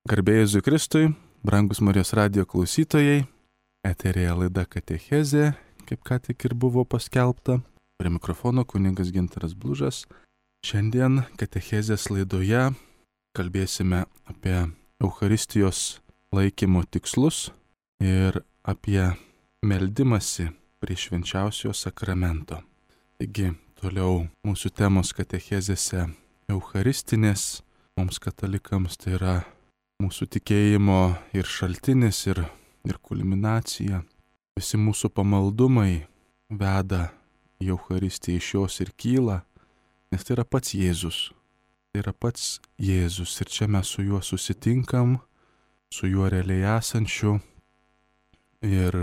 Garbė Jėzui Kristui, brangus Marijos radijo klausytojai, eterėje laida Katechezė, kaip ką tik ir buvo paskelbta. Prie mikrofono kunigas Gintaras Blužas. Šiandien Katechezės laidoje kalbėsime apie Eucharistijos laikymo tikslus ir apie meldimąsi prie švenčiausiojo sakramento. Taigi, toliau mūsų temos Katechezėse Eucharistinės, mums katalikams tai yra mūsų tikėjimo ir šaltinis, ir kulminacija. Visi mūsų pamaldumai veda į Eucharistiją, iš jos ir kyla, nes tai yra pats Jėzus. Tai yra pats Jėzus ir čia mes su juo susitinkam, su juo realiai esančiu ir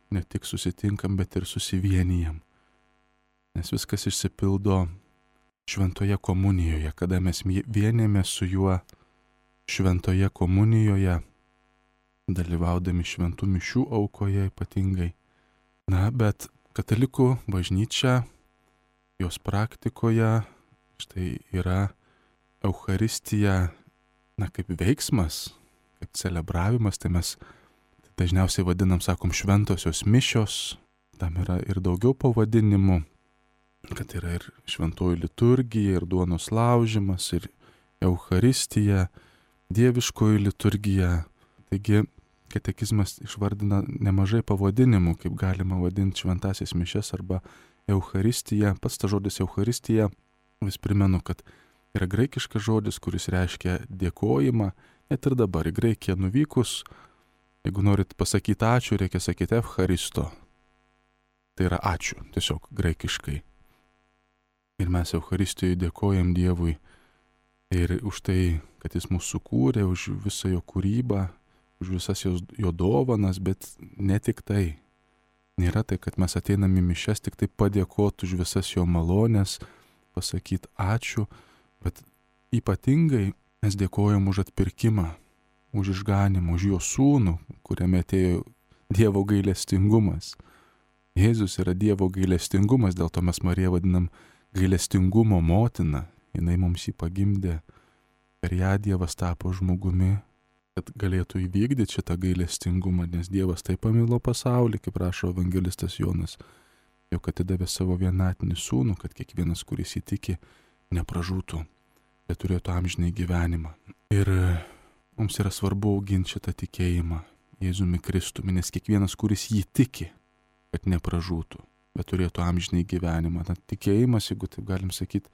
ne tik susitinkam, bet ir susivienijam. Nes viskas išsipildo šventoje komunijoje, kada mes vienėmės su juo šventoje komunijoje, dalyvaudami šventų mišių aukoje ypatingai. Bet katalikų bažnyčia, jos praktikoje, štai yra Eucharistija, kaip veiksmas, kaip celebravimas, tai mes dažniausiai vadinam, sakom, šventosios mišios, tam yra ir daugiau pavadinimų, kad yra ir šventoji liturgija, ir duonos laužimas, ir Eucharistija, dieviškoji liturgija. Taigi katekizmas išvardina nemažai pavadinimų, kaip galima vadinti šventąsias mišias arba Eucharistiją. Pats ta žodis Eucharistija, vis primenu, kad yra graikiškas žodis, kuris reiškia dėkojimą. Net ir dabar į Graikiją nuvykus, jeigu norit pasakyti ačiū, reikia sakyti Eucharisto. Tai yra ačiū, tiesiog graikiškai. Ir mes Eucharistijoje dėkojam Dievui ir už tai, kad jis mūsų sukūrė, už visą jo kūrybą, už visas jo dovanas, bet ne tik tai. Nėra tai, kad mes ateinam į mišias tik tai padėkoti už visas jo malonės, pasakyti ačiū, bet ypatingai mes dėkojam už atpirkimą, už išganimą, už jo sūnų, kuriame atėjo Dievo gailestingumas. Jėzus yra Dievo gailestingumas, dėl to mes Mariją vadinam gailestingumo motina. Jinai mums jį pagimdė, per ją Dievas tapo žmogumi, kad galėtų įvykdyti šitą gailestingumą, nes Dievas taip pamilo pasaulį, kaip rašo evangelistas Jonas, jog atidavė savo vienatinį sūnų, kad kiekvienas, kuris įtiki, nepražūtų, bet turėtų amžinai gyvenimą. Ir mums yra svarbu auginti šitą tikėjimą Jėzumi Kristumi, nes kiekvienas, kuris jį tiki, kad nepražūtų, bet turėtų amžinai gyvenimą. Tikėjimas, jeigu taip galim sakyti,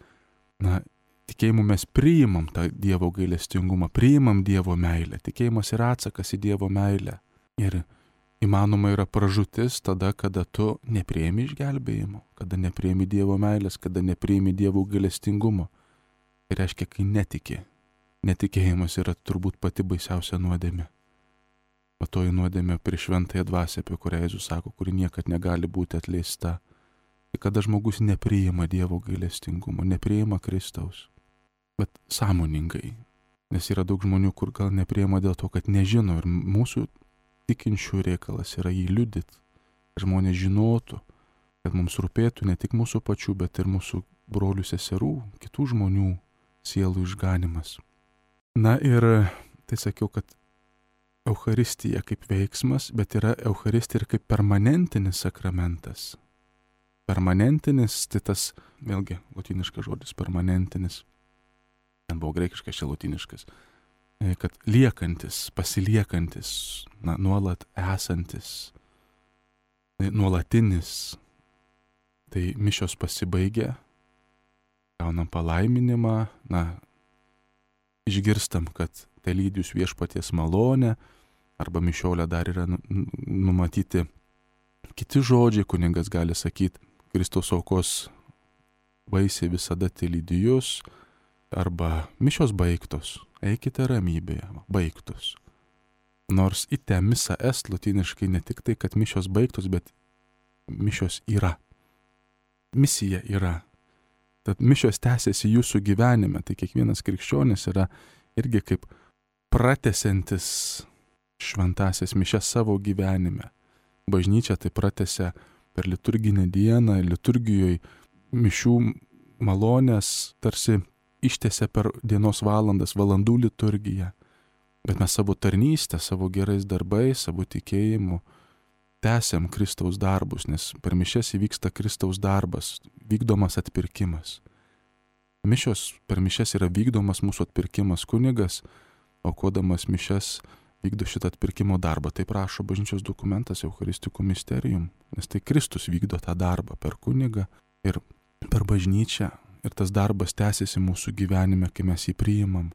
tikėjimu mes priimam tą Dievo gailestingumą, priimam Dievo meilę. Tikėjimas yra atsakas į Dievo meilę. Ir įmanoma yra pražūtis tada, kada tu nepriimi išgelbėjimo, kada nepriimi Dievo meilės, kada nepriimi Dievo gailestingumo. Tai reiškia, kai netiki. Netikėjimas yra turbūt pati baisiausia nuodėmė. O toji nuodėmė prieš šventąją dvasią, apie kurią Jėzus sako, kuri niekad negali būti atleista. Tai kada žmogus nepriima Dievo gailestingumo, nepriima Kristaus, bet sąmoningai. Nes yra daug žmonių, kur gal nepriima dėl to, kad nežino. Ir mūsų tikinčių reikalas yra jį liudyti. Žmonės žinotų, kad mums rūpėtų ne tik mūsų pačių, bet ir mūsų brolių, seserų, kitų žmonių sielų išganimas. Ir tai sakiau, kad Eucharistija kaip veiksmas, bet yra Eucharistija ir kaip permanentinis sakramentas. Permanentinis, tai tas, vėlgi, lotyniškas žodis, permanentinis, ten buvo graikiškas, čia lotyniškas, kad liekantis, pasiliekantis, nuolat esantis, nuolatinis. Tai mišios pasibaigia, gaunam palaiminimą, išgirstam, kad tai lydi jūs viešpaties malonę, arba mišiolė dar yra numatyti kiti žodžiai, kunigas gali sakyti, Kristaus aukos vaisiai visada lydi jūs, arba mišios baigtos, eikite ramybėje, baigtos. Nors ite misa est lotyniškai ne tik tai, kad mišios baigtos, bet mišios yra. Misija yra. Tad mišios tęsiasi jūsų gyvenime, tai kiekvienas krikščionis yra irgi kaip pratęsiantis šventąsias mišias savo gyvenime. Bažnyčia tai pratęsia per liturginę dieną, liturgijoje mišių malonės tarsi ištęsia per dienos valandas, valandų liturgiją. Bet mes savo tarnystę, savo gerais darbais, savo tikėjimu tęsiam Kristaus darbus, nes per mišias įvyksta Kristaus darbas, vykdomas atpirkimas. Mišios per mišias yra vykdomas mūsų atpirkimas. Kunigas, aukodamas mišias, vykdo šitą atpirkimo darbą. Taip rašo bažnyčios dokumentas Eucharistikų Mysterium, nes tai Kristus vykdo tą darbą per kunigą ir per bažnyčią. Ir tas darbas tęsiasi mūsų gyvenime, kai mes jį priimam.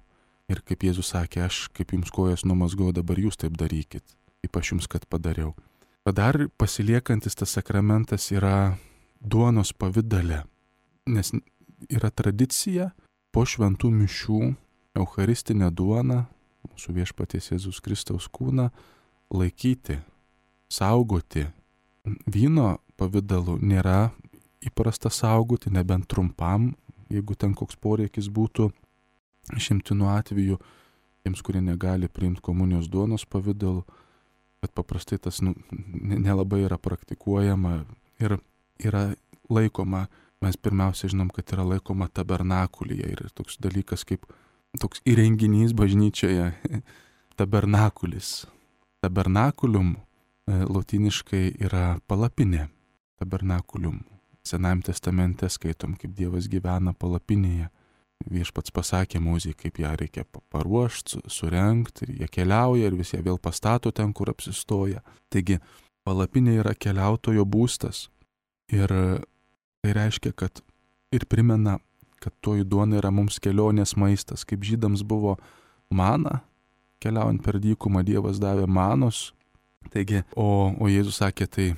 Ir kaip Jėzus sakė, aš kaip jums kojas numazgau, dabar jūs taip darykit, kaip aš jums kad padariau. Bet dar pasiliekantis tas sakramentas yra duonos pavidale, nes yra tradicija po šventų mišių eucharistinę duoną, mūsų viešpaties Jėzus Kristaus kūną, laikyti, saugoti. Vyno pavidalu nėra įprasta saugoti, nebent trumpam, jeigu ten koks poreikis būtų, išimtinu atveju, tiems, kurie negali priimti komunijos duonos pavidalu, bet paprastai tas nelabai yra praktikuojama ir yra laikoma, mes pirmiausia žinom, kad yra laikoma tabernakulyje ir toks dalykas kaip toks įrenginys bažnyčioje, tabernakulis. Tabernakulium lotyniškai yra palapinė, tabernakulium. Senajame testamente skaitom, kaip Dievas gyvena palapinėje. Viešpats pasakė Mozei, kaip ją reikia paruošti, surengti, ir jie keliauja ir visi vėl pastato ten, kur apsistoja. Taigi, palapinė yra keliautojo būstas. Ir tai reiškia, kad ir primena, kad toji duona yra mums kelionės maistas. Kaip žydams buvo mana, keliaujant per dykumą Dievas davė manos. Taigi, o Jėzus sakė, tai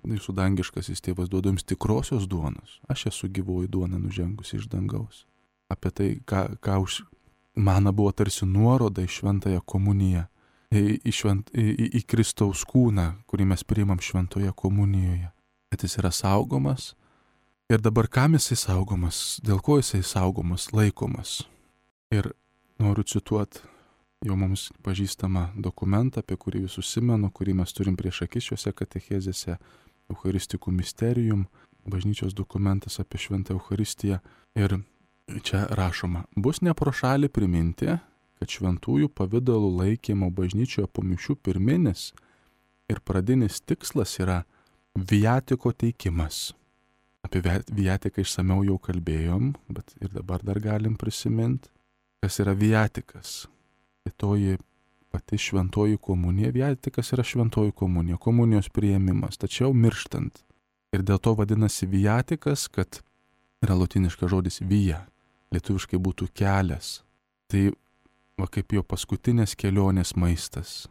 jūsų dangiškasis tėvas duoda jums tikrosios duonos. Aš esu gyvoji duona nužengusi iš dangaus. Apie tai, mana buvo tarsi nuoroda į šventąją komuniją, į Kristaus kūną, kurį mes priimam šventoje komunijoje. Kad jis yra saugomas. Ir dabar kam jisai saugomas? Dėl ko jisai saugomas, laikomas? Ir noriu cituoti jau mums pažįstamą dokumentą, apie kurį vis užsimenu, kurį mes turim prieš akis šiuose katechezėse, Eucharistikų Mysterium, bažnyčios dokumentas apie šventą Eucharistiją. Ir čia rašoma, bus ne pro šalį priminti, kad šventųjų pavidalų laikymo bažnyčioje po mišių pirminis ir pradinis tikslas yra viatiko teikimas. Apie viatiką išsamiau jau kalbėjom, bet ir dabar dar galim prisiminti, kas yra viatikas. Tai toji pati šventoji komunija, viatikas yra šventoji komunija, komunijos priėmimas, tačiau mirštant. Ir dėl to vadinasi viatikas, kad yra lotyniškas žodis via, lietuviškai būtų kelias. Tai va kaip jo paskutinės kelionės maistas,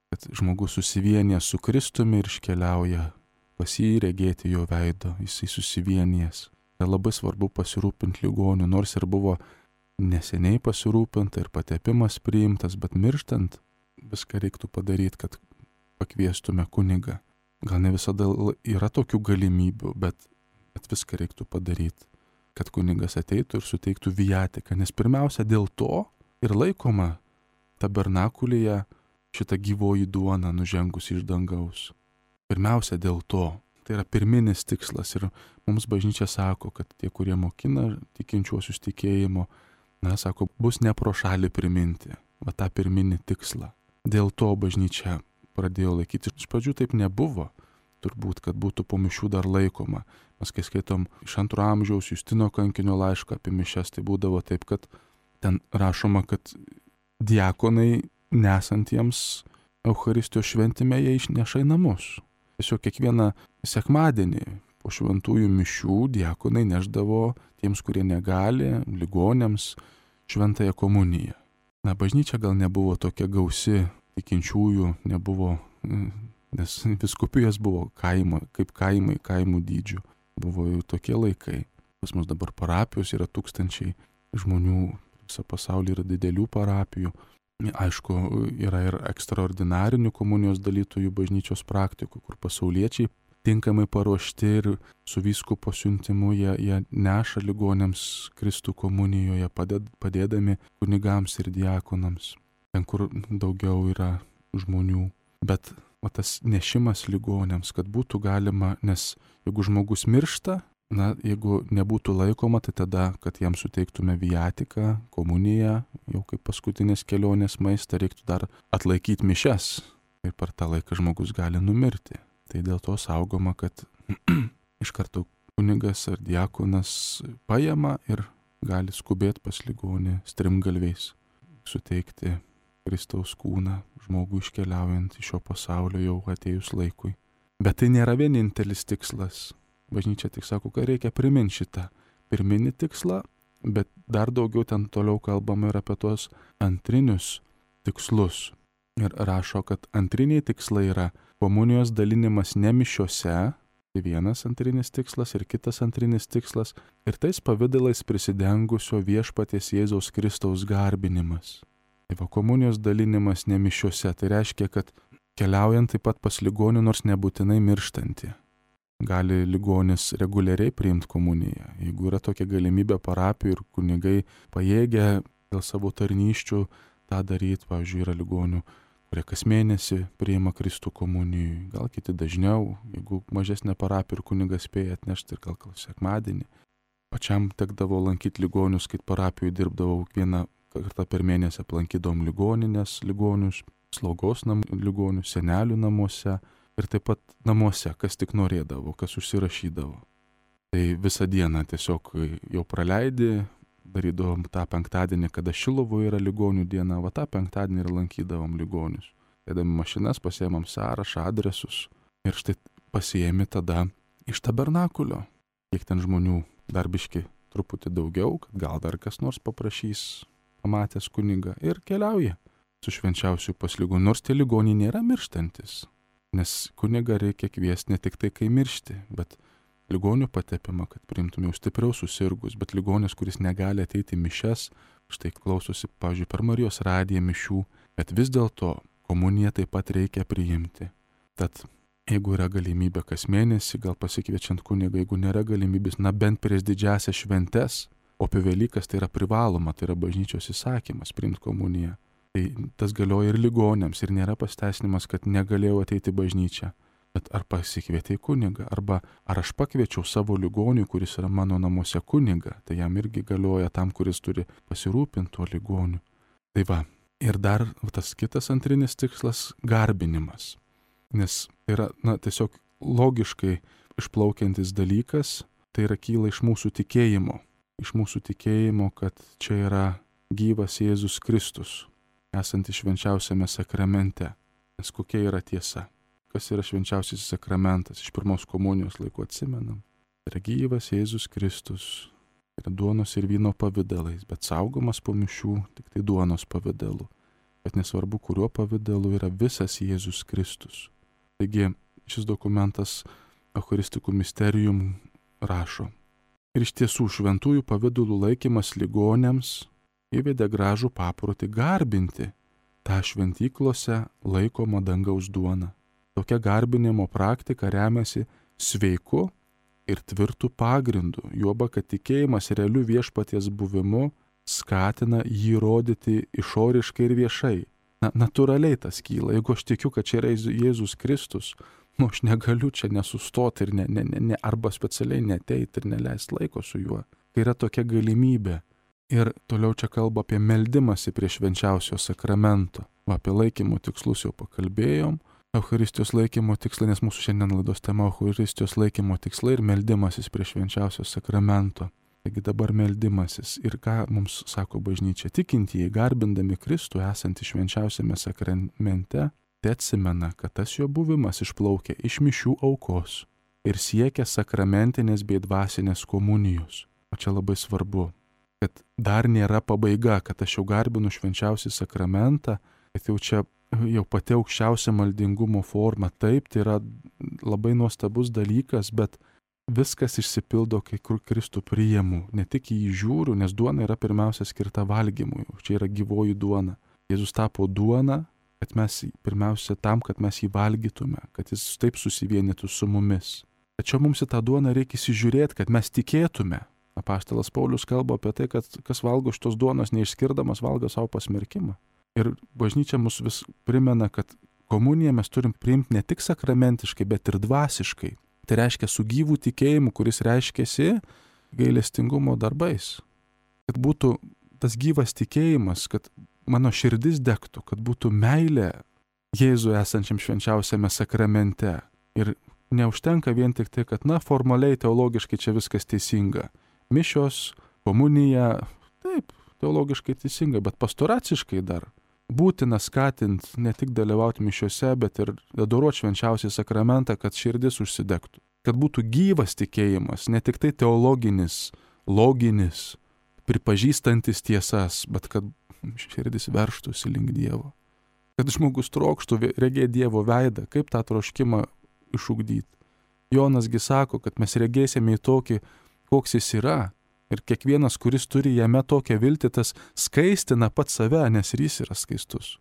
kad žmogus susivienė su Kristumi ir iškeliauja pas jį regėti jo veido, jisai susivienijęs. Tai labai svarbu pasirūpinti ligonių, nors ir buvo neseniai pasirūpinta ir patepimas priimtas, bet mirštant viską reiktų padaryti, kad pakviestume kunigą. Gal ne visada yra tokių galimybių, bet viską reiktų padaryti, kad kunigas ateitų ir suteiktų viatiką, nes pirmiausia dėl to ir laikoma tabernakulyje šita gyvoji duona nužengus iš dangaus. Pirmiausia dėl to. Tai yra pirminis tikslas ir mums bažnyčia sako, kad tie, kurie mokina tikinčiuosius tikėjimo, sako, bus ne pro šalį priminti, va tą pirminį tikslą. Dėl to bažnyčia pradėjo laikyti. Iš pradžių taip nebuvo, turbūt, kad būtų po mišių dar laikoma. Mes kai skaitom iš 2 amžiaus Justino kankinio laišką apie mišias, tai būdavo taip, kad ten rašoma, kad diakonai nesantiems Eucharistijos šventime jie išneša į namus. Tiesiog kiekvieną sekmadienį po šventųjų mišių diakonai neždavo tiems, kurie negali, ligonėms, šventąją komuniją. Bažnyčia gal nebuvo tokia gausi, tikinčiųjų nebuvo, nes vyskupijos buvo kaip kaimų dydžių. Buvo jau tokie laikai. Pas mus dabar parapijos yra tūkstančiai žmonių, visą pasaulį yra didelių parapijų. Aišku, yra ir ekstraordinarinių komunijos dalytojų bažnyčios praktikų, kur pasauliečiai tinkamai paruošti ir su vyskupo siuntimu jie neša ligonėms Kristų komunijoje, padėdami kunigams ir diakonams, ten kur daugiau yra žmonių. Bet tas nešimas ligonėms, kad būtų galima, nes jeigu žmogus miršta, Na, jeigu nebūtų laikoma, tai tada, kad jam suteiktume viatiką, komuniją, jau kaip paskutinės kelionės maistą, reiktų dar atlaikyti mišias. Ir per tą laiką žmogus gali numirti. Tai dėl to saugoma, kad iš karto kunigas ar diakonas paima ir gali skubėti pas ligonį strimgalviais, suteikti Kristaus kūną žmogui iškeliaujant iš šio pasaulio jau atėjus laikui. Bet tai nėra vienintelis tikslas. Bažnyčia tik sako, kad reikia priminti šitą pirminį tikslą, bet dar daugiau ten toliau kalbama ir apie tuos antrinius tikslus. Ir rašo, kad antriniai tikslai yra komunijos dalinimas ne mišiose, tai vienas antrinis tikslas ir kitas antrinis tikslas, ir tais pavidalais prisidengusio viešpaties Jėzaus Kristaus garbinimas. Tai va, komunijos dalinimas ne mišiose, tai reiškia, kad keliaujant taip pat pas ligonį, nors nebūtinai mirštantį. Gali ligonis reguliariai priimti komuniją. Jeigu yra tokia galimybė parapijų ir kunigai pajėgia dėl savo tarnyščių tą daryti, pavyzdžiui, yra ligonių, kurie kas mėnesį priima Kristų komunijų, gal kiti dažniau, jeigu mažesnė parapija ir kunigas spėja atnešti ir gal sekmadienį. Pačiam tekdavo lankyti ligonius, kai parapijoje dirbdavau vieną kartą per mėnesį, aplankydom ligoninės ligonius, slaugos ligonius, senelių namuose. Ir taip pat namuose, kas tik norėdavo, kas užsirašydavo. Tai visą dieną tiesiog jau praleidi, darydavom tą penktadienį, kada Šilovoje yra ligonių diena, va tą penktadienį ir lankydavom ligonius. Dėdami mašinas, pasiėmam sąrašą, adresus ir štai pasiėmi tada iš tabernakulio. Kiek ten žmonių darbiški truputį daugiau, kad gal dar kas nors paprašys, pamatęs kunigą ir keliauja su švenčiausiu pas ligonį, nors tie ligoniai nėra mirštantis. Nes kunigą reikia kviesti ne tik tai, kai miršti, bet ligonių patepimą, kad priimtume jau stipriau susirgus, bet ligonis, kuris negali ateiti į mišias, štai klausosi, pavyzdžiui, per Marijos radiją mišių, bet vis dėlto komuniją taip pat reikia priimti. Tad jeigu yra galimybė kas mėnesį, gal pasikviečiant kunigą, jeigu nėra galimybės, na bent prieš didžiąsias šventes, o apie Velykas tai yra privaloma, tai yra bažnyčios įsakymas priimti komuniją. Tai tas galioja ir ligoniams, ir nėra pasteisinimas, kad negalėjau ateiti į bažnyčią. Bet ar pasikvietei kunigą, arba ar aš pakviečiau savo ligonių, kuris yra mano namuose kunigą, tai jam irgi galioja tam, kuris turi pasirūpinti tuo ligoniu. Tai va, ir dar tas kitas antrinis tikslas - garbinimas. Nes tai yra, tiesiog logiškai išplaukiantis dalykas, tai yra kyla iš mūsų tikėjimo. Iš mūsų tikėjimo, kad čia yra gyvas Jėzus Kristus, esantis švenčiausiame sakramente. Nes kokia yra tiesa? Kas yra švenčiausiasis sakramentas? Iš pirmos komunijos laikų atsimenam. Tai yra gyvas Jėzus Kristus. Yra duonos ir vyno pavidalais, bet saugomas po mišių tik tai duonos pavidalu. Bet nesvarbu, kuriuo pavidalu yra visas Jėzus Kristus. Taigi šis dokumentas Eucharistikų Mysterium rašo. Ir iš tiesų šventųjų pavidalų laikymas ligoniams įvedė gražų paprotį garbinti tą šventyklose laikomą dangaus duoną. Tokia garbinimo praktika remiasi sveiku ir tvirtu pagrindu, juoba, kad tikėjimas realiu viešpaties buvimu skatina jį rodyti išoriškai ir viešai. Natūraliai tas kyla. Jeigu aš tikiu, kad čia yra Jėzus Kristus, aš negaliu čia nesustoti ir arba specialiai neteiti ir neleisti laiko su juo. Kai yra tokia galimybė. Ir toliau čia kalba apie meldimąsi prie švenčiausio sakramento. Apie laikymo tikslus jau pakalbėjom. Eucharistijos laikymo tikslai, nes mūsų šiandien laidos tema Eucharistijos laikymo tikslai ir meldimasis prie švenčiausio sakramento. Taigi dabar meldimasis. Ir ką mums sako bažnyčia? Tikintieji, garbindami Kristų esantį švenčiausiame sakramente, tai atsimena, kad tas jo buvimas išplaukia iš mišių aukos ir siekia sakramentinės bei dvasinės komunijos. O čia labai svarbu, kad dar nėra pabaiga, kad aš jau garbinu švenčiausią sakramentą, kad jau čia jau pati aukščiausia maldingumo forma. Taip, tai yra labai nuostabus dalykas, bet viskas išsipildo, kai Kristų priimu. Ne tik į jį žiūriu, nes duona yra pirmiausia skirta valgymui. Čia yra gyvoji duona. Jėzus tapo duona, kad mes pirmiausia tam, kad mes jį valgytume, kad jis taip susivienytų su mumis. Tačiau mums į tą duoną reikia įsižiūrėti, kad mes tikėtume. Apaštalas Paulius kalba apie tai, kad kas valgo šitos duonos neišskirdamas, valgo savo pasmerkimą. Ir bažnyčia mus vis primena, kad komuniją mes turim priimti ne tik sakramentiškai, bet ir dvasiškai. Tai reiškia su gyvų tikėjimu, kuris reiškiasi gailestingumo darbais. Kad būtų tas gyvas tikėjimas, kad mano širdis degtų, kad būtų meilė Jėzui esančiam švenčiausiame sakramente. Ir neužtenka vien tik tai, kad, formaliai, teologiškai čia viskas teisinga. Mišios, komunija, taip, teologiškai teisinga, bet pastoraciškai dar būtina skatinti ne tik dalyvauti mišiose, bet ir adoruoti švenčiausią sakramentą, kad širdis užsidegtų. Kad būtų gyvas tikėjimas, ne tik tai teologinis, loginis, pripažįstantis tiesas, bet kad širdis verštųsi link Dievo. Kad žmogus trokštų regėti Dievo veidą, kaip tą troškimą išugdyti. Jonasgi sako, kad mes regėsime į tokį, koks jis yra, ir kiekvienas, kuris turi jame tokią viltį, tas skaistina pat save, nes ir jis yra skaistus.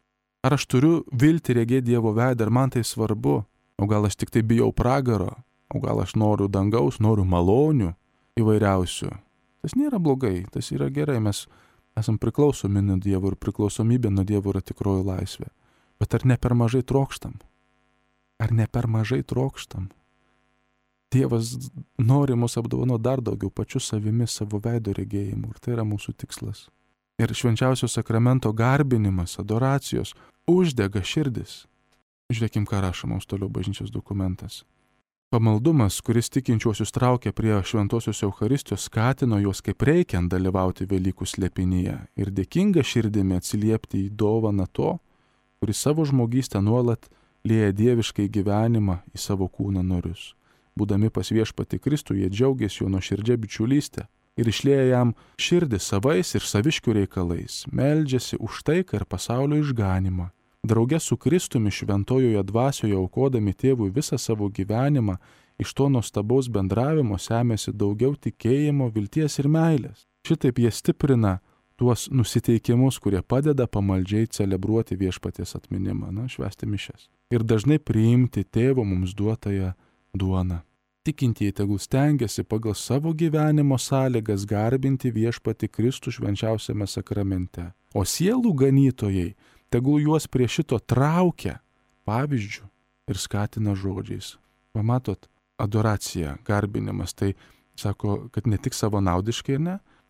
Ar aš turiu viltį regėti Dievo veidą, ar man tai svarbu? O gal aš tik tai bijau pragaro? O gal aš noriu dangaus, noriu malonių įvairiausių? Tas nėra blogai, tas yra gerai, mes esam priklausomi nuo Dievo ir priklausomybė nuo Dievo yra tikroji laisvė. Bet ar ne per mažai trokštam? Ar ne per mažai trokštam? Dievas nori mus apdovanoti dar daugiau pačiu savimi, savo veido regėjimu, ir tai yra mūsų tikslas. Ir švenčiausio sakramento garbinimas, adoracijos uždega širdis. Žiūrėkim, ką rašo mums toliau bažnyčios dokumentas. Pamaldumas, kuris tikinčiuosius traukia prie šventosios Eucharistijos, skatino juos kaip reikiant dalyvauti Velykų slėpinyje ir dėkinga širdimi atsiliepti į dovaną to, kuris savo žmogystę nuolat lieja dieviškai gyvenimą į savo kūno narius. Būdami pas Viešpatį Kristų, jie džiaugiasi jo nuoširdžia bičiulystė ir išlieja jam širdį savais ir saviškių reikalais, meldžiasi už taiką ir pasaulio išganimą. Drauge su Kristumi šventojoje dvasioje aukodami tėvui visą savo gyvenimą, iš to nuostabaus bendravimo semėsi daugiau tikėjimo, vilties ir meilės. Šitaip jie stiprina tuos nusiteikimus, kurie padeda pamaldžiai celebruoti Viešpaties atminimą, švęsti mišias. Ir dažnai priimti tėvo mums duotąją duoną. Tikintieji tegul stengiasi pagal savo gyvenimo sąlygas garbinti Viešpatį Kristų švenčiausiame sakramente. O sielų ganytojai tegul juos prie šito traukia pavyzdžių ir skatina žodžiais. Pamatot, adoracija, garbinimas, tai sako, kad ne tik savanaudiškai,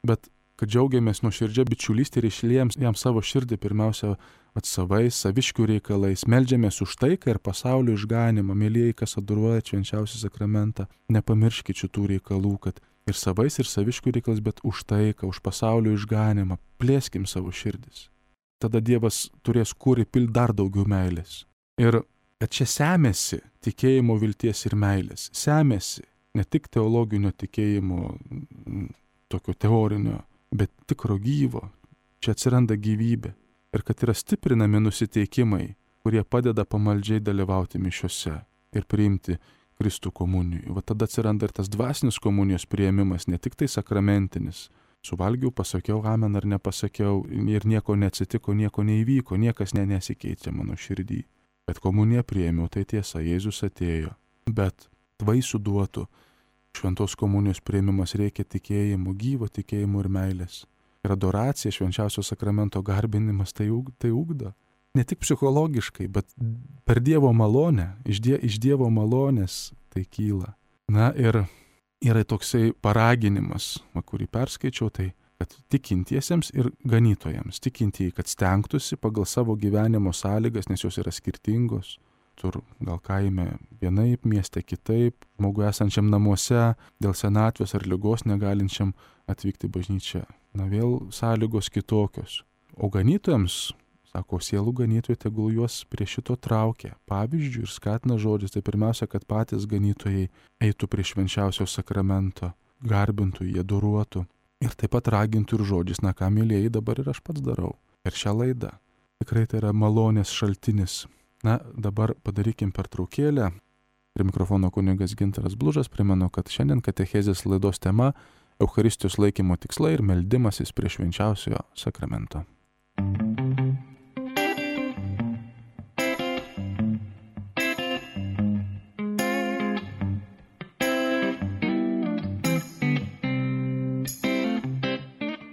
bet kad džiaugiamės nuoširdžia bičiulystė ir išliejam jam savo širdį pirmiausia savais, saviškių reikalais, meldžiamės už taiką ir pasaulio išganimą. Mėlyjei, kas adoruoja švenčiausią sakramentą, nepamirškit šitų reikalų, kad ir savais, ir saviškių reikalais, bet už taiką, už pasaulio išganimą. Plėskim savo širdis. Tada Dievas turės kur įpilti dar daugiau meilės. Ir kad čia semėsi tikėjimo, vilties ir meilės. Semėsi ne tik teologinio tikėjimo, tokio teorinio, bet tikro gyvo. Čia atsiranda gyvybė. Ir kad yra stiprinami nusiteikimai, kurie padeda pamaldžiai dalyvauti mišiose ir priimti Kristų komunijų. Va tada atsiranda ir tas dvasinis komunijos priėmimas, ne tik tai sakramentinis. Suvalgiau, pasakiau amen ar nepasakiau ir nieko neatsitiko, nieko neįvyko, niekas nesikeičia mano širdį. Bet komuniją priėmiau, tai tiesa, Jėzus atėjo. Bet vaisių duotų šventos komunijos priėmimas reikia tikėjimo, gyvo tikėjimo ir meilės. Ir adoracija, švenčiausio sakramento garbinimas tai ugdo. Ne tik psichologiškai, bet per Dievo malonę, iš Dievo malonės tai kyla. Na ir yra toksai paraginimas, kurį perskaičiau, tai kad tikintiesiems ir ganytojams, tikintieji, kad stengtųsi pagal savo gyvenimo sąlygas, nes jos yra skirtingos. Tur gal kaime vienaip, mieste kitaip, žmogui esančiam namuose, dėl senatvės ar ligos negalinčiam atvykti bažnyčią. Na vėl sąlygos kitokios. O ganytojams, sako, sielų ganytojai tegul juos prie šito traukia pavyzdžių ir skatina žodžiais. Tai pirmiausia, kad patys ganytojai eitų prie švenčiausio sakramento, garbintų, jie adoruotų. Ir taip pat ragintų ir žodžiais, na ką mėlyjei dabar ir aš pats darau. Ir šią laidą. Tikrai tai yra malonės šaltinis. Na, dabar padarykim pertraukėlę. Prie mikrofono kunigas Gintaras Blužas. Primenu, kad šiandien katechezės laidos tema Eucharistijos laikymo tikslai ir meldimasis prie švenčiausiojo sakramento.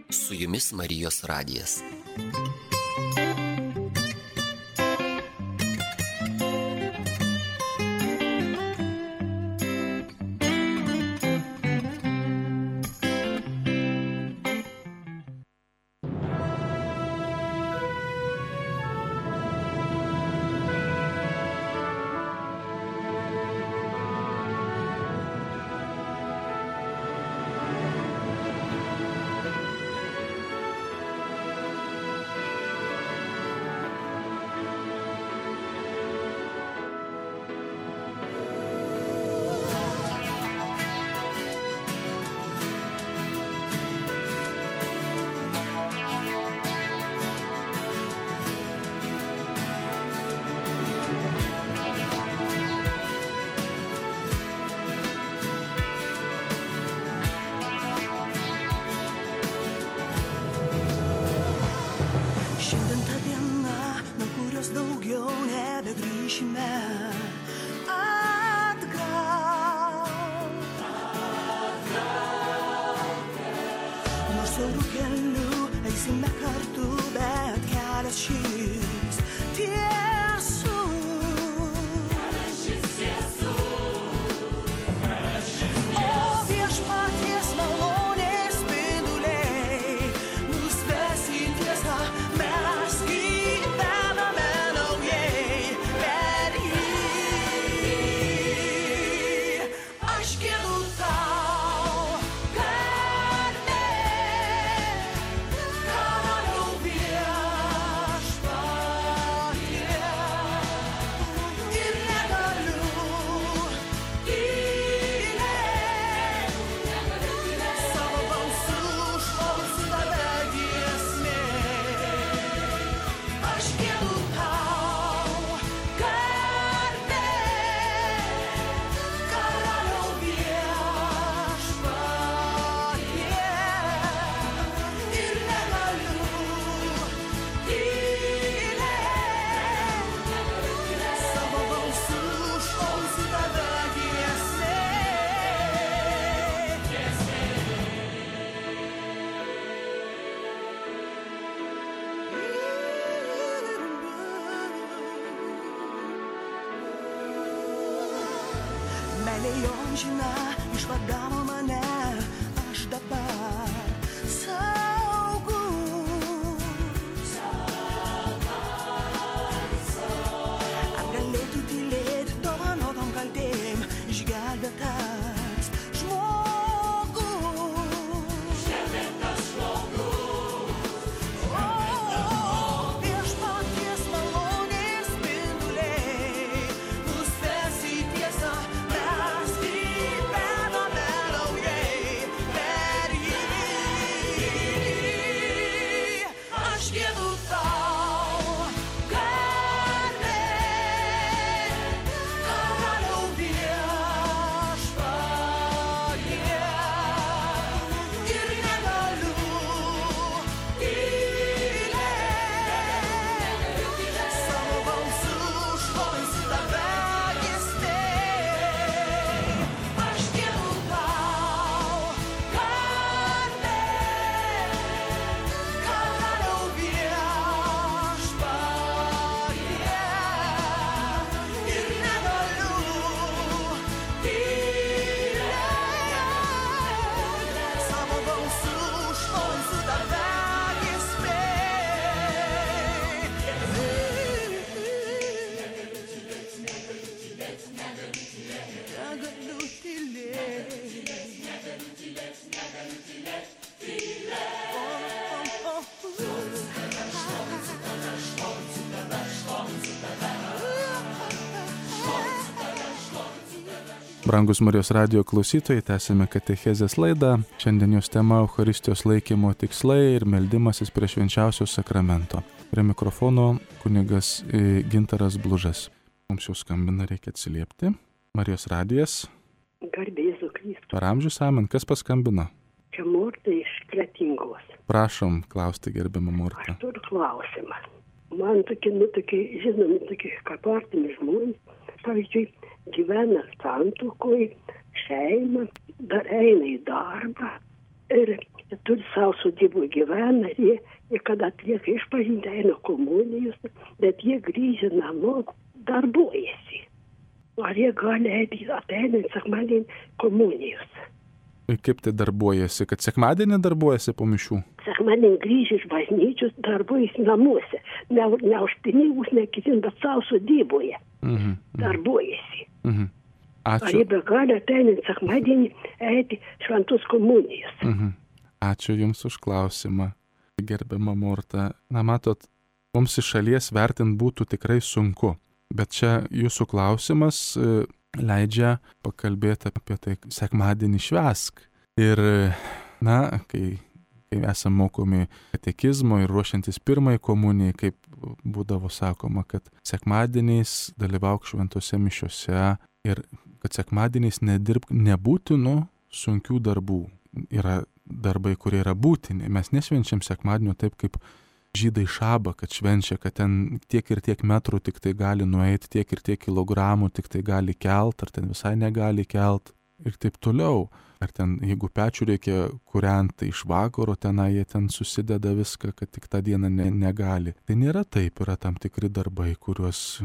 Su jumis Marijos radijas. nebegrįšime atgal. Nors siaurų kelių eisime kartu, bet kelias šis amžina išvadavo mane, aš dabar saugus. Apgalėtų tylėti dovanotom kaltėm, išgelbėtas žmogus. Viešpaties malonės spinduliai mus ves į tiesą. Brangus Marijos radijo klausytojai, tęsime katechezės laidą. Šiandien jos tema Eucharistijos laikymo tikslai ir meldimasis prie švenčiausio sakramento. Prie mikrofono kunigas Gintaras Blužas. Mums jau skambina, reikia atsiliepti. Marijos radijas. Garbė Jėzų Kristų. Per amžius amen. Kas paskambino? Čia Morta iš Kretingos. Prašom klausti, gerbiamą Mortą. Aš turiu klausimą. Man tokie, žinomi, kaip artimi žmonės, pavyzdžiui, gyvena santuokoj, šeima, dar eina į darbą ir turi savo sodybų gyvena, jie kada atlieka išpažintį, eina komunijos, bet jie grįžę namo darbuojasi. Ar jie gali ateinant sekmadienį komunijos? Kaip tai darbuojasi? Kad sekmadienį darbuojasi po mišių? Sekmadienį grįžę iš bažnyčios darbuojasi namuose. Ne už pinigus, ne kitin, bet savo sodyboje. Darbuojasi. Ačiū. Ar jie be gali ateinant sekmadienį eiti šventos komunijos? Ačiū Jums už klausimą, gerbiama Morta. Na, matot, mums iš šalies vertint būtų tikrai sunku, bet čia Jūsų klausimas leidžia pakalbėti apie tai, sekmadienį švęsk. Ir, na, kai esame mokomi katekizmo ir ruošiantis pirmai komunijai, kaip būdavo sakoma, kad sekmadieniais dalyvauk šventose mišiose ir kad sekmadieniais nedirbk nebūtinų sunkių darbų. Yra darbai, kurie yra būtini. Mes nešvenčiam sekmadienio taip, kaip žydai šabą, kad švenčia, kad ten tiek ir tiek metrų tik tai gali nueiti, tiek ir tiek kilogramų tik tai gali kelt, ar ten visai negali kelt ir taip toliau. Ar ten, jeigu pečių reikia kūrenti, tai iš vakaro tenai jie ten susideda viską, kad tik tą dieną negali. Tai nėra taip, yra tam tikri darbai, kuriuos,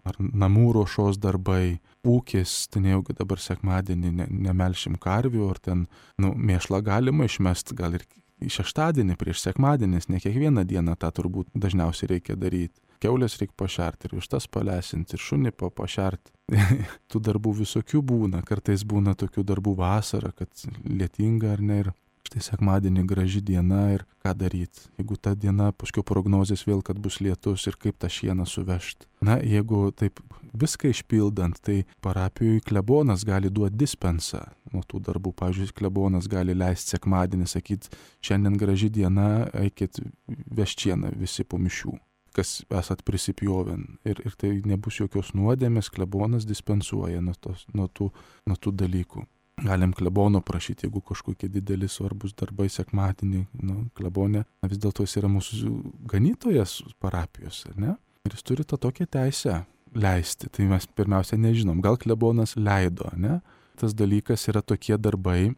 ar namų ruošos darbai, ūkis, tai nejaugi dabar sekmadienį nemelšim karvių, ar ten, mėšlą galima išmesti, gal ir šeštadienį prieš sekmadienis, ne kiekvieną dieną tą turbūt dažniausiai reikia daryti. Kiaulės reikia pašerti ir vištas palesinti ir šunį pašerti. Tų darbų visokių būna, kartais būna tokių darbų vasarą, kad lietinga ar ne, ir štai sekmadienį graži diena ir ką daryti. Jeigu ta diena, paskui prognozės vėl, kad bus lietus ir kaip tą šieną suvežti. Na, jeigu taip viską išpildant, tai parapijui klebonas gali duoti dispensą nuo tų darbų. Pavyzdžiui, klebonas gali leisti sekmadienį, sakyti, šiandien graži diena, eikit vežti šieną visi po mišių, kas esat prisipjovę. Ir tai nebus jokios nuodėmės, klebonas dispensuoja nuo tų dalykų. Galim klebono prašyti, jeigu kažkokie dideli svarbus darbai sekmadienį, klebonė, vis dėlto jis yra mūsų ganytojas parapijos, ne? Ir jis turi tą tokią teisę leisti. Tai mes pirmiausia nežinom, gal klebonas leido, ne? Tas dalykas yra tokie darbai,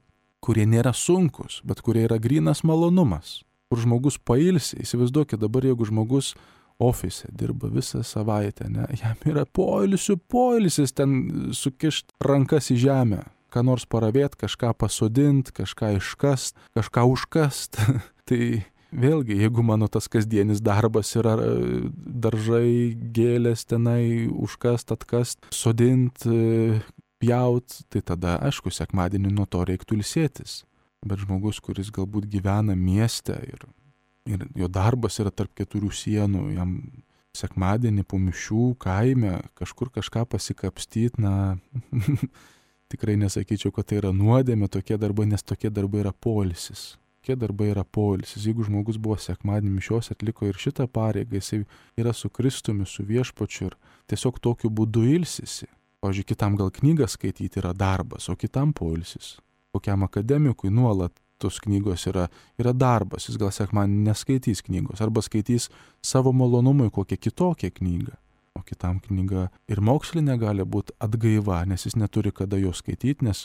kurie nėra sunkus, bet kurie yra grynas malonumas, kur žmogus pailsi. Įsivaizduokit dabar, jeigu žmogus ofise dirba visą savaitę, ne? Jam yra poilsis ten sukišt rankas į žemę, ką nors paravėt, kažką pasodint, kažką iškast, kažką užkast. Tai vėlgi, jeigu mano tas kasdienis darbas yra daržai, gėlės tenai, užkast, atkast, sodint, pjaut, tai tada, aišku, sekmadienį nuo to reiktų ilsėtis. Bet žmogus, kuris galbūt gyvena mieste ir jo darbas yra tarp keturių sienų, jam sekmadienį po mišių kaime kažkur kažką pasikapstyt, tikrai nesakyčiau, kad tai yra nuodėmė tokie darbai, nes tokie darbai yra poilsis. Tokie darbai yra poilsis. Jeigu žmogus buvo sekmadienį mišios, atliko ir šitą pareigą, jisai yra su Kristumi, su Viešpačiu ir tiesiog tokiu būdu ilsisi. Pavyzdžiui, kitam gal knygą skaityti yra darbas, o kitam poilsis. Kokiam akademikui nuolat tos knygos yra darbas, jis gal sekmadienį neskaitys knygos, arba skaitys savo malonumui kokią kitokią knygą. O kitam knyga ir mokslinė gali būti atgaiva, nes jis neturi kada jo skaityti, nes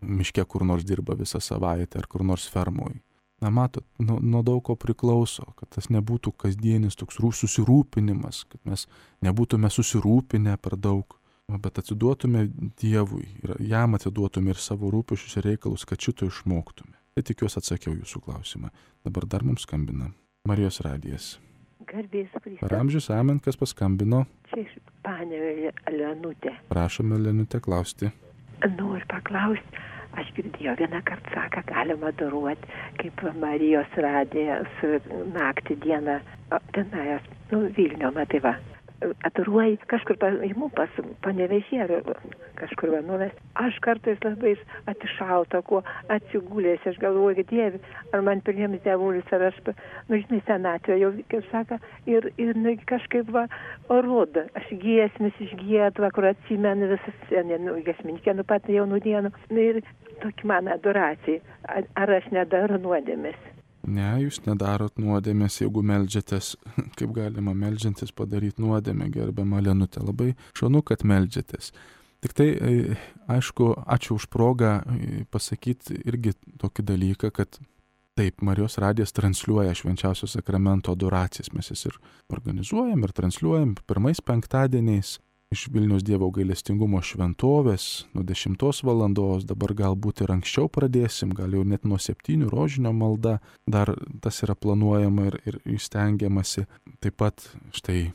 miške kur nors dirba visą savaitę ar kur nors fermoj. Matot, nuo daug ko priklauso, kad tas nebūtų kasdienis toks susirūpinimas, kad mes nebūtume susirūpinę per daug, bet atiduotume Dievui ir jam atiduotume ir savo rūpesčius ir reikalus, kad šito išmoktume. Tai tikiuosi atsakiau jūsų klausimą. Dabar dar mums skambina Marijos radijas. Garbės Kristus. Per amžius amen, kas paskambino? Čia iš Panevėžio Lenutė. Prašome, Lenutė, klausti. Noriu paklausti, aš girdėjau vieną kartą saką, galima daruoti, kaip Marijos radijas naktį dieną, tenai, Vilnių, matai va. Ataruoji kažkur imu pas Panevėžį ar kažkur nuves. Aš kartais labai atišalta, kuo atsigulės, aš galvoju, Dieve, ar man priims dievulis, ar aš, žinai, senatvė jau, kaip saka, ir kažkaip rodo, aš giesmis išgiedva, kur atsimenu visas, giesminikė, pat jaunų dienų, ir tokia mano adoracija, ar aš nedaru nuodėmės. Ne, jūs nedarot nuodėmės, jeigu meldžiatės, kaip galima meldžiantis padaryti nuodėmę, gerbiama Lenutė. Labai šaunu, kad meldžiatės. Tik tai, aišku, ačiū už progą pasakyti irgi tokį dalyką, kad taip, Marijos radijas transliuoja švenčiausio sakramento adoracijas. Mes jas ir organizuojam ir transliuojam pirmais penktadieniais iš Vilniaus Dievo gailestingumo šventovės nuo 10 valandos, dabar galbūt ir anksčiau pradėsim, gal jau net nuo 7 rožinio malda, dar tas yra planuojama ir įstengiamasi. Taip pat štai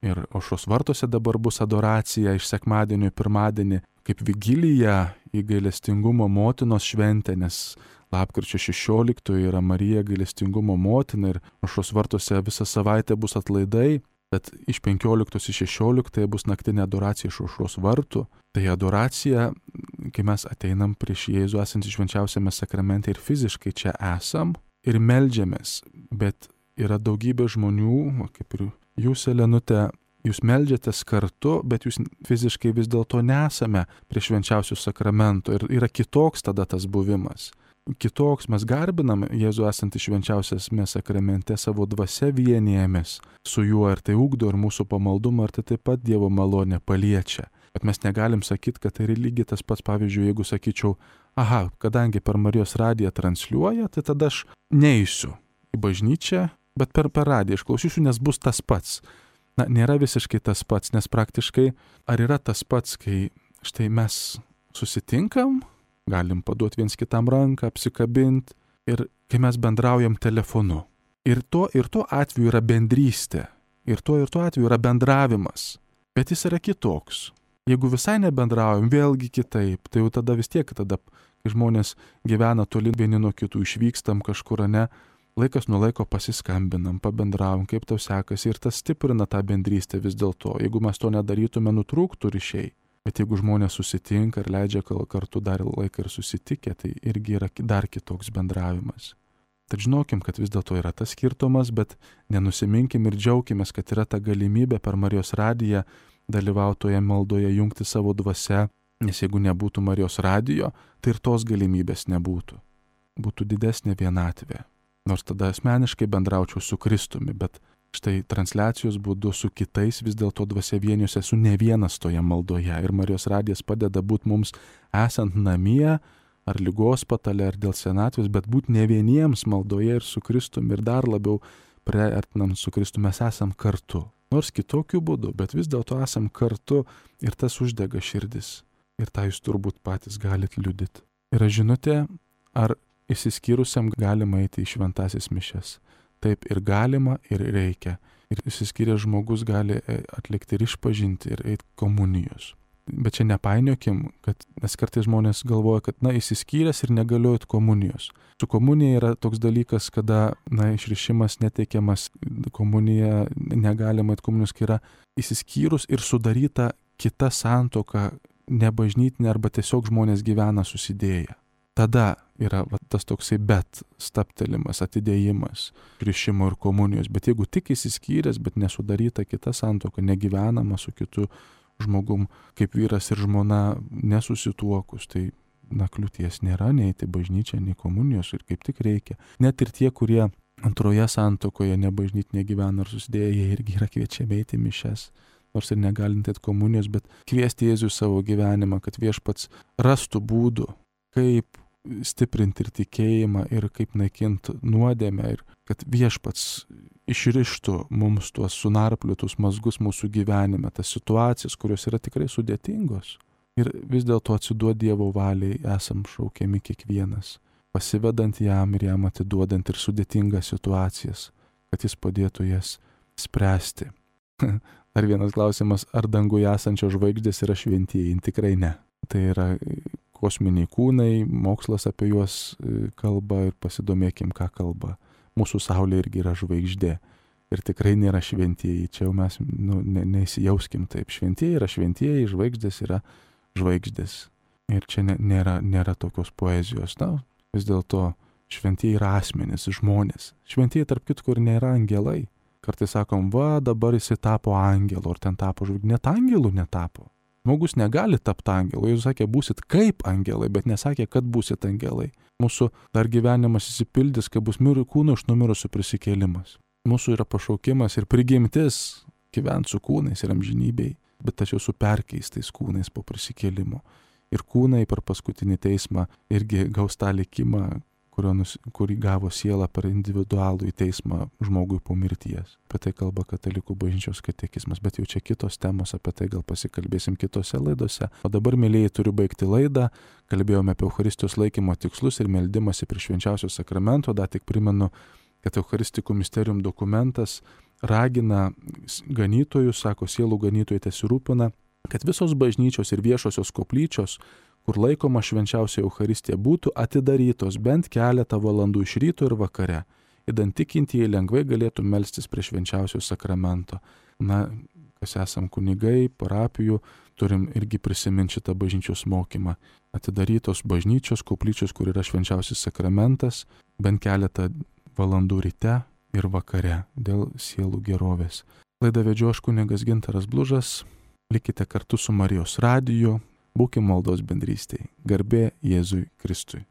ir Aušros vartuose dabar bus adoracija iš sekmadienio į pirmadienį, kaip vigilija į gailestingumo motinos šventę, nes lapkričio 16 yra Marija gailestingumo motina ir Aušros vartuose visą savaitę bus atlaidai. Bet iš 15 į 16 bus naktinė adoracija iš Aušros vartų. Tai adoracija, kai mes ateinam prieš Jėzų esantį švenčiausiame sakramente ir fiziškai čia esam ir meldžiamės. Bet yra daugybė žmonių, kaip ir jūs, Lenutė, jūs meldžiatės kartu, bet jūs fiziškai vis dėlto nesame prie švenčiausių sakramentų ir yra kitoks tada tas buvimas. kitoks, mes garbinam Jėzų esantį švenčiausiame sakramente, savo dvasia vienijamės su juo ir tai ugdo ir mūsų pamaldumą, ir tai taip pat Dievo malonė paliečia. Bet mes negalim sakyti, kad tai lygiai tas pats, pavyzdžiui, jeigu sakyčiau, aha, kadangi per Marijos radiją transliuoja, tai tada aš neisiu į bažnyčią, bet per radiją išklausysiu, nes bus tas pats. Na, nėra visiškai tas pats, nes praktiškai ar yra tas pats, kai štai mes susitinkam, galim paduoti viens kitam ranką, apsikabinti ir kai mes bendraujam telefonu. Ir to atveju yra bendrystė, ir to atveju yra bendravimas, bet jis yra kitoks. Jeigu visai nebendraujam, vėlgi kitaip, tai jau tada vis tiek, kai žmonės gyvena toli vieni nuo kitų, išvykstam kažkur, ne, laikas nuo laiko pasiskambinam, pabendravom, kaip tau sekasi, ir tas stiprina tą bendrystę vis dėlto. Jeigu mes to nedarytume, nutrūktų ryšiai. Bet jeigu žmonės susitinka ir leidžia kartu dar laiką ir susitikę, tai irgi yra dar kitoks bendravimas. Tad žinokim, kad vis dėlto yra tas skirtumas, bet nenusiminkim ir džiaukimės, kad yra ta galimybė per Marijos radiją dalyvautoje maldoje, jungti savo dvasia, nes jeigu nebūtų Marijos radijo, tai ir tos galimybės nebūtų. Būtų didesnė vienatvė. Nors tada asmeniškai bendraučiau su Kristumi, bet štai transliacijos būdu su kitais vis dėlto dvasia vienijuose esu ne vienas toje maldoje. Ir Marijos radijas padeda būti mums esant namie, ar ligos patale, ar dėl senatvės, bet būti ne vieniems maldoje ir su Kristumi, ir dar labiau priartinant su Kristumi mes esam kartu. Nors kitokiu būdu, bet vis dėlto esam kartu ir tas uždega širdis. Ir tą jūs turbūt patys galit liudyti. Yra žinutė, ar išsiskyrusiam galima eiti į šventasis mišias. Taip ir galima, ir reikia. Ir išsiskyręs žmogus gali atlikti ir išpažinti, ir eiti komunijos. Bet čia nepainiokim, nes kartais žmonės galvoja, kad išsiskyręs ir negaliu eiti komunijos. Su komunija yra toks dalykas, kada išrišimas neteikiamas, komunija negalima eiti komunijos, kai yra išsiskyrus ir sudaryta kita santuoka, nebažnytinė arba tiesiog žmonės gyvena susidėję. Tada yra tas toksai stabtelimas, atidėjimas, rišimo ir komunijos. Bet jeigu tik išsiskyręs, bet nesudaryta kita santuoka, negyvenama su kitu žmogum, kaip vyras ir žmona nesusituokus, tai kliūties nėra, neiti bažnyčią, nei komunijos, ir kaip tik reikia. Net ir tie, kurie antroje santuokoje nebažnytinė gyvena ar susidėję, jie irgi yra kviečiami eiti mišias. Nors ir negalintėt komunijos, bet kviesti Jėzų savo gyvenimą, kad Viešpats rastų būdų, kaip stiprinti ir tikėjimą, ir kaip naikinti nuodėmę, ir kad Viešpats išrištų mums tuos sunarpliotus mazgus mūsų gyvenime, tas situacijas, kurios yra tikrai sudėtingos. Ir vis dėlto atsiduoti Dievo valiai esam šaukiami kiekvienas, pasivedant jam ir jam atiduodant ir sudėtingas situacijas, kad jis padėtų jas spręsti. Dar vienas klausimas, ar danguje esančios žvaigždės yra šventieji? Tikrai ne. Tai yra kosminiai kūnai, mokslas apie juos kalba ir pasidomėkim, ką kalba. Mūsų Saulė irgi yra žvaigždė ir tikrai nėra šventieji. Čia jau mes neįsijauskim taip. Šventieji yra šventieji, žvaigždės yra žvaigždės. Ir čia nėra tokios poezijos. Vis dėlto šventieji yra asmenys, žmonės. Šventieji tarp kitko ir nėra angelai. Kartais sakom, dabar jisai tapo angelu, ar ten tapo žvaigždė. Net angelų netapo. Žmogus negali tapti angelu. Jis sakė, būsit kaip angelai, bet nesakė, kad būsit angelai. Mūsų dar gyvenimas įsipildys, kai bus kūno iš numirusių prisikėlimas. Mūsų yra pašaukimas ir prigimtis gyventi su kūnais ir amžinybei, bet tačiau su perkeistais kūnais po prisikėlimo. Ir kūnai per paskutinį teismą irgi gaus tą likimą, kurį gavo siela per individualų į teismą žmogui po mirties. Apie tai kalba Katalikų bažnyčios katekizmas, bet jau čia kitos temos, apie tai gal pasikalbėsim kitose laidose. O dabar, mėlyjei, turiu baigti laidą. Kalbėjome apie Eucharistijos laikymo tikslus ir meldimąsi prie švenčiausio sakramento. Dar tik primenu, kad Eucharistikų Mysterium dokumentas ragina ganytojus, sako, sielų ganytojai tesirūpina, kad visos bažnyčios ir viešosios koplyčios, kur laikoma švenčiausia Eucharistija, būtų atidarytos bent keletą valandų iš ryto ir vakare, idant tikintieji lengvai galėtų melstis prie švenčiausio sakramento. Kas esam kunigai, parapijų, turim irgi prisiminti šitą bažnyčios mokymą. Atidarytos bažnyčios, koplyčios, kur yra švenčiausias sakramentas, bent keletą valandų ryte ir vakare dėl sielų gerovės. Laidą vedžiau aš kunigas Gintaras Blužas. Likite kartu su Marijos radiju. Būkim maldos bendrystėje. Garbė Jėzui Kristui.